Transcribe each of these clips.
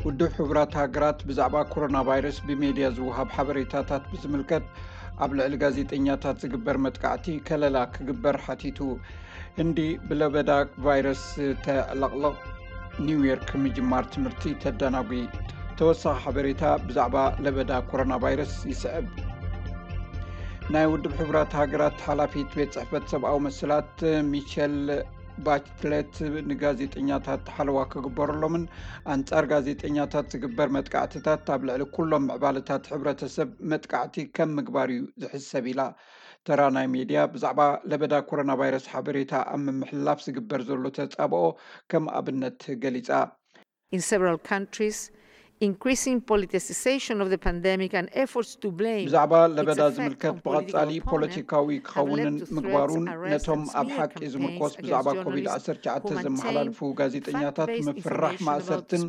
ውድብ ሕቡራት ሃገራት ብዛዕባ ኮሮና ቫይረስ ብሜድያ ዝወሃብ ሓበሬታታት ብዝምልከት ኣብ ልዕሊ ጋዜጠኛታት ዝግበር መጥቃዕቲ ከለላ ክግበር ሓቲቱ። ህንዲ ብለበዳ ቫይረስ ተዕለቕልቕ፣ ኒውዮርክ ምጅማር ትምህርቲ ተደናጒ። ተወሳኺ ሓበሬታ ብዛዕባ ለበዳ ኮሮና ቫይረስ ይስዕብ። ናይ ውድብ ሕቡራት ሃገራት ሓላፊት ቤት ጽሕፈት ሰብኣዊ መሰላት ሚሸል ባችለት ንጋዜጠኛታት ሓለዋ ክግበረሎምን ኣንጻር ጋዜጠኛታት ዝግበር መጥቃዕትታት ኣብ ልዕሊ ኩሎም ምዕባለታት ሕብረተሰብ መጥቃዕቲ ከም ምግባር እዩ ዝሕሰብ ኢላ። ተራ ናይ ሜድያ ብዛዕባ ለበዳ ኮሮና ቫይረስ ሓበሬታ ኣብ ምምሕልላፍ ዝግበር ዘሎ ተጻብኦ ከም ኣብነት ገሊጻ። In several countries, increasing politicization of the pandemic and efforts to blame ብዛዕባ ለበዳ ዝምልከት ብቐጻሊ ፖለቲካዊ ክኸውንን ምግባሩን ነቶም ኣብ ሓቂ ዝምርኮስ ብዛዕባ ኮቪድ ዓሰርተ ትሽዓተ ዘመሓላልፉ ጋዜጠኛታት ምፍራሕ ማእሰርትን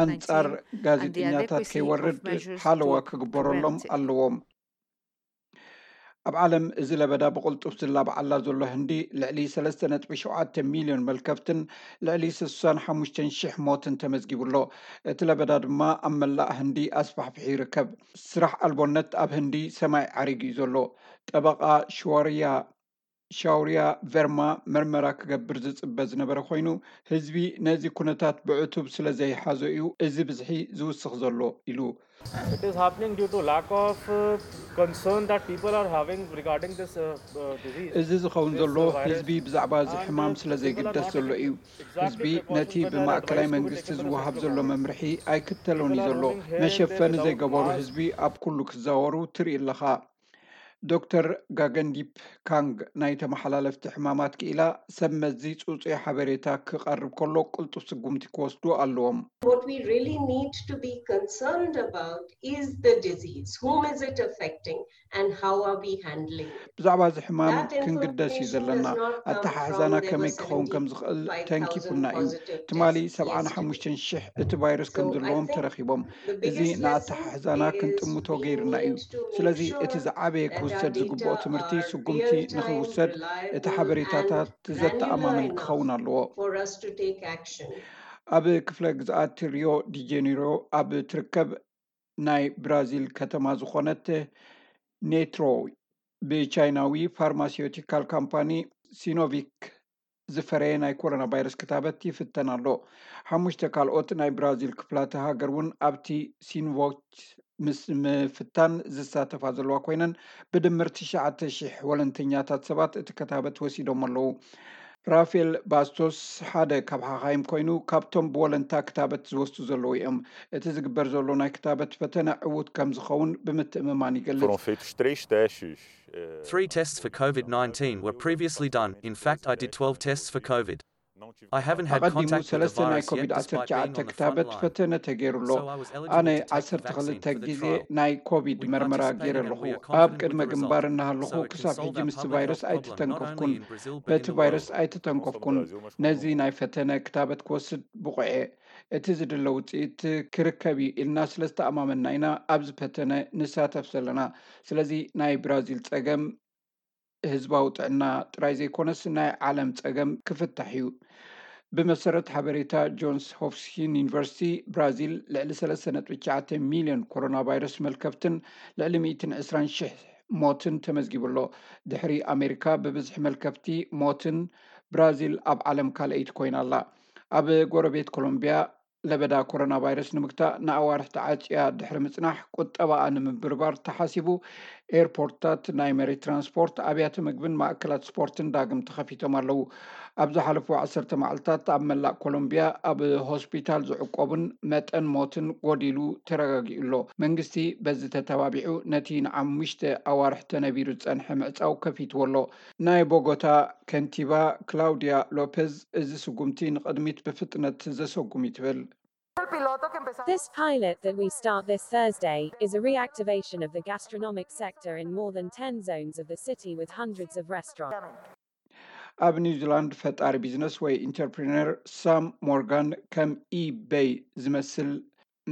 ኣንጻር ጋዜጠኛታት ከይወርድ ሓለዋ ክግበረሎም ኣለዎም። ኣብ ዓለም እዚ ለበዳ ብቕልጡፍ ዝላባዓላ ዘሎ ህንዲ ልዕሊ ሰለስተ ነጥቢ ሸውዓተ ሚልዮን መልከፍትን ልዕሊ ስሳን ሓሙሽተን ሽሕ ሞትን ተመዝጊቡ ኣሎ። እቲ ለበዳ ድማ ኣብ መላእ ህንዲ ኣስፋሕፊሑ ይርከብ። ስራሕ ኣልቦነት ኣብ ህንዲ ሰማይ ዓሪጉ እዩ ዘሎ። ጠበቓ ሽዋርያ ሻውርያ ቨርማ መርመራ ክገብር ዝጽበ ዝነበረ ኮይኑ፣ ህዝቢ ነዚ ኩነታት ብዕቱብ ስለ ዘይሓዞ እዩ እዚ ብዝሒ ዝውስኽ ዘሎ ኢሉ። It is happening due to lack of uh, concern that people are having regarding this uh, uh, disease. እዚ ዝኸውን ዘሎ ህዝቢ ብዛዕባ እዚ ሕማም ስለ ዘይግደስ ዘሎ እዩ። ህዝቢ ነቲ ብማእከላይ መንግስቲ ዝወሃብ ዘሎ መምርሒ ኣይክተሎን እዩ ዘሎ። መሸፈኒ ዘይገበሩ ህዝቢ ኣብ ኩሉ ክዛወሩ ትርኢ ኣለኻ። ዶክተር ጋገንዲፕ ካንግ ናይ ተመሓላለፍቲ ሕማማት ክኢላ ሰብ መዚ ጽጹይ ሓበሬታ ክቐርብ ከሎ ቅልጡፍ ስጉምቲ ክወስዱ ኣለዎም። What we really need to be concerned about is the disease. Whom is it affecting and how are we handling it? ብዛዕባ እዚ ሕማም ክንግደስ እዩ ዘለና። ኣተሓሕዛና ከመይ ክኸውን ከም ዝኽእል ተንኪፉና እዩ። ትማሊ ሰብዓን ሓሙሽተን ሽሕ እቲ ቫይረስ ከም ዘለዎም ተረኺቦም። እዚ ንኣተሓሕዛና ክንጥምቶ ገይርና እዩ። ስለዚ እቲ ዝዓበየ ክውሰድ ዝግብኦ ትምህርቲ ስጉምቲ ንኽውሰድ እቲ ሓበሬታታት ዘተኣማምን ክኸውን ኣለዎ። ኣብ ክፍለ ግዝኣት ሪዮ ዲጀኒሮ ኣብ ትርከብ ናይ ብራዚል ከተማ ዝኾነት ኔትሮ ብቻይናዊ ፋርማሲዮቲካል ካምፓኒ ሲኖቪክ ዝፈረየ ናይ ኮሮና ቫይረስ ክታበት ይፍተን ኣሎ። ሓሙሽተ ካልኦት ናይ ብራዚል ክፍላተ ሃገር እውን ኣብቲ ሲንቮች ምስ ምፍታን ዝሳተፋ ዘለዋ ኮይነን ብድምር ትሽዓተ ሽሕ ወለንተኛታት ሰባት እቲ ክታበት ወሲዶም ኣለዉ። ራፌል ባስቶስ ሓደ ካብ ሓኻይም ኮይኑ ካብቶም ብወለንታ ክታበት ዝወስዱ ዘለዉ እዮም። እቲ ዝግበር ዘሎ ናይ ክታበት ፈተነ ዕዉት ከም ዝኸውን ብምትእምማን ይገልጽ። Foram feitos três testes. eh, Three tests for COVID nineteen were previously done. In fact, I did twelve tests for COVID. I haven't had ኣቐዲሙ contact with the ሰለስተ ናይ virus ኮቪድ yet ዓሰርተ despite being ትሽዓተ on the front ክታበት line. ፈተነ ተገይሩ ኣሎ። So I was eligible ኣነ to take the ዓሰርተ ክልተ vaccine for the ግዜ trial. ናይ ኮቪድ We መርመራ participated ገይረ and ኣለኹ። we are ኣብ confident ቅድመ with the ግንባር result. እናሃለኹ So it can ክሳብ solve ሕጂ our ምስቲ public ቫይረስ health problem, not ኣይተተንከፍኩን። only in Brazil but በቲ in the ቫይረስ world. ኣይተተንከፍኩን። ነዚ ናይ ፈተነ ክታበት ክወስድ ብቑዕ እየ። እቲ ዝድለ ውፅኢት ክርከብ እዩ ኢልና ስለ ዝተኣማመንና ኢና ኣብዚ ፈተነ ንሳተፍ ዘለና። ስለዚ ናይ ብራዚል ፀገም ህዝባዊ ጥዕና ጥራይ ዘይኮነስ ናይ ዓለም ጸገም ክፍታሕ እዩ። ብመሰረት ሓበሬታ ጆንስ ሆፕኪንስ ዩኒቨርሲቲ ብራዚል ልዕሊ ሰለስተ ነጥቢ ትሽዓተ ሚልዮን ኮሮና ቫይረስ መልከፍትን ልዕሊ ሚእትን ዕስራን ሽሕ ሞትን ተመዝጊቡ ኣሎ። ድሕሪ ኣሜሪካ ብብዝሒ መልከፍቲ ሞትን ብራዚል ኣብ ዓለም ካልኣይቲ ኮይና ኣላ። ኣብ ጎረቤት ኮሎምቢያ ለበዳ ኮሮና ቫይረስ ንምግታእ ንኣዋርሕ ተዓጽያ ድሕሪ ምጽናሕ ቁጠባኣ ንምብርባር ተሓሲቡ ኤርፖርትታት፣ ናይ መሬት ትራንስፖርት፣ ኣብያተ ምግብን ማእከላት ስፖርትን ዳግም ተኸፊቶም ኣለዉ። ኣብ ዝሓለፉ ዓሰርተ መዓልታት ኣብ መላእ ኮሎምቢያ ኣብ ሆስፒታል ዝዕቆቡን መጠን ሞትን ጎዲሉ ተረጋጊኡ ኣሎ። መንግስቲ በዚ ተተባቢዑ ነቲ ንሓሙሽተ ኣዋርሕ ተነቢሩ ዝጸንሐ ምዕጻው ከፊትዎ ኣሎ። ናይ ቦጎታ ከንቲባ ክላውድያ ሎፔዝ እዚ ስጉምቲ ንቕድሚት ብፍጥነት ዘሰጉም እዩ ትብል። This pilot that we start this Thursday is a reactivation of the gastronomic sector in more than ten zones of the city with hundreds of restaurants. ኣብ ኒውዚላንድ ፈጣሪ ቢዝነስ ወይ ኢንተርፕሪነር ሳም ሞርጋን ከም ኢበይ ዝመስል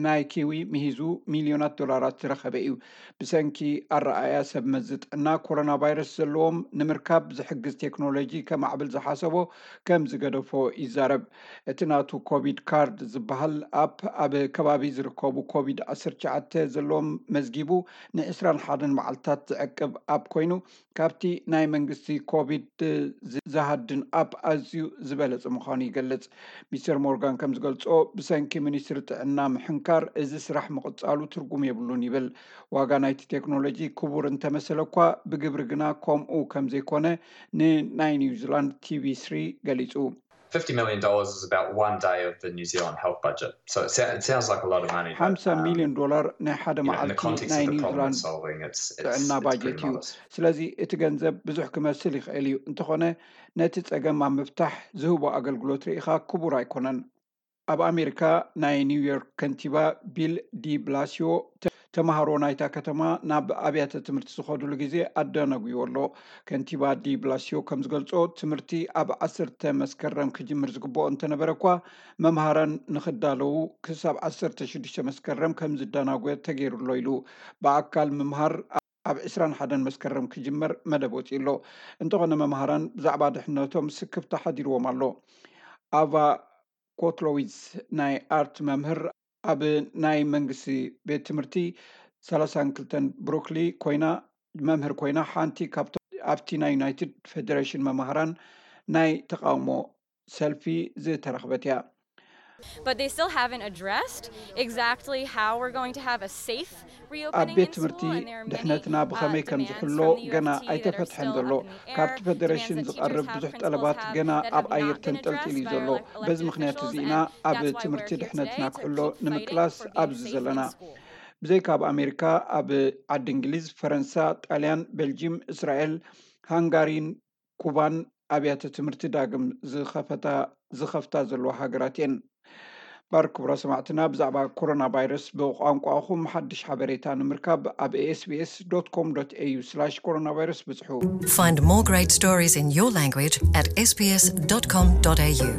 ናይ ኪዊ ምሂዙ ሚልዮናት ዶላራት ዝረኸበ እዩ። ብሰንኪ ኣረኣያ ሰብ መዚ ጥዕና፣ ኮሮና ቫይረስ ዘለዎም ንምርካብ ዝሕግዝ ቴክኖሎጂ ከማዕብል ዝሓሰቦ ከም ዝገደፎ ይዛረብ። እቲ ናቱ ኮቪድ ካርድ ዝበሃል ኣፕ ኣብ ከባቢ ዝርከቡ ኮቪድ ዓሰርተ ትሽዓተ ዘለዎም መዝጊቡ ን ዕስራን ሓደን መዓልታት ዝዕቅብ ኣፕ ኮይኑ፣ ካብቲ ናይ መንግስቲ ኮቪድ ዝ-፣ ዝሃድን ኣፕ ኣዝዩ ዝበለጸ ምዃኑ ይገልጽ። ሚስተር ሞርጋን ከም ዝገልጾ፣ ብሰንኪ ሚኒስትሪ ጥዕና ምሕንካር እዚ ስራሕ ምቕጻሉ ትርጉም የብሉን ይብል። ዋጋ ናይቲ ቴክኖሎጂ ክቡር እንተመሰለ እኳ፣ ብግብሪ ግና ከምኡ ከም ዘይኮነ ንናይ ኒውዚላንድ ቲቪ ስሪ ገሊጹ። Fifty million dollars is about one day of the New Zealand health budget. So it, sou- it sounds like a lot of money, but ሓምሳ um, ሚልዮን ዶላር ናይ ሓደ you know, in the መዓልቲ context ናይ of the problem we're ኒውዚላንድ solving, it's, it's, ጥዕና it's ባጀት pretty እዩ። modest. ስለዚ እቲ ገንዘብ ብዙሕ ክመስል ይኽእል እዩ፣ እንተኾነ ነቲ ጸገም ኣብ ምፍታሕ ዝህቦ ኣገልግሎት ርኢኻ ክቡር ኣይኮነን። ኣብ ኣሜሪካ ናይ ኒውዮርክ ከንቲባ ቢል ዲ ብላሲዮ ተ-፣ ተምሃሮ ናይታ ከተማ ናብ ኣብያተ ትምህርቲ ዝኸዱሉ ግዜ ኣዳነጉዎ ኣሎ። ከንቲባ ዲ ብላሲዮ ከም ዝገልጾ፣ ትምህርቲ ኣብ ዓሰርተ መስከረም ክጅምር ዝግብኦ እንተነበረ እኳ፣ መምሃራን ንኽዳለዉ ክሳብ ዓሰርተ ሽዱሽተ መስከረም ከም ዝዳናጎ ተገይሩ ኣሎ ኢሉ። ብኣካል ምምሃር ኣብ ዕስራን ሓደን መስከረም ክጅመር መደብ ወፂኡ ኣሎ። እንተኾነ መምሃራን ብዛዕባ ድሕነቶም ስክፍታ ሓዲርዎም ኣሎ። ኣቫ ኮትሎዊዝ ናይ ኣርት መምህር ኣብ ናይ መንግስቲ ቤት ትምህርቲ ሰላሳን ክልተን ብሩክሊ ኮይና መምህር ኮይና፣ ሓንቲ ካብቶም ኣብቲ ናይ ዩናይትድ ፌደሬሽን መምሃራን ናይ ተቃውሞ ሰልፊ ዝተረኽበት እያ። But they still haven't addressed exactly how we're going to have a safe ኣብ reopening ቤት in ትምህርቲ school, and there are many ድሕነትና ብኸመይ ከም ዝሕሎ ገና ኣይተፈትሐን ዘሎ። ካብቲ ፌደሬሽን ዝቐርብ ብዙሕ ጠለባት ገና ኣብ ኣየር ተንጠልጢሉ እዩ ዘሎ። በዚ ምኽንያት እዚ ኢና ኣብ ትምህርቲ ድሕነትና ክሕሎ ንምቅላስ ኣብዚ ዘለና። ብዘይካ ኣብ ኣሜሪካ፣ ኣብ ዓዲ እንግሊዝ፣ ፈረንሳ፣ ጣልያን፣ ቤልጂም፣ እስራኤል፣ ሃንጋሪን ኩባን ኣብያተ ትምህርቲ ዳግም ዝኸፈታ ዝኸፍታ ዘለዋ ሃገራት እየን። ባር ክቡራ ሰማዕትና፣ ብዛዕባ ኮሮና ቫይረስ ብቋንቋኹም ሓድሽ ሓበሬታ ንምርካብ ኣብ ኤስቢኤስ ዶት ኮም ዶት ኤዩ ስላሽ ኮሮና ቫይረስ ብጽሑ። Find more great stories in your language at sbs.com.au.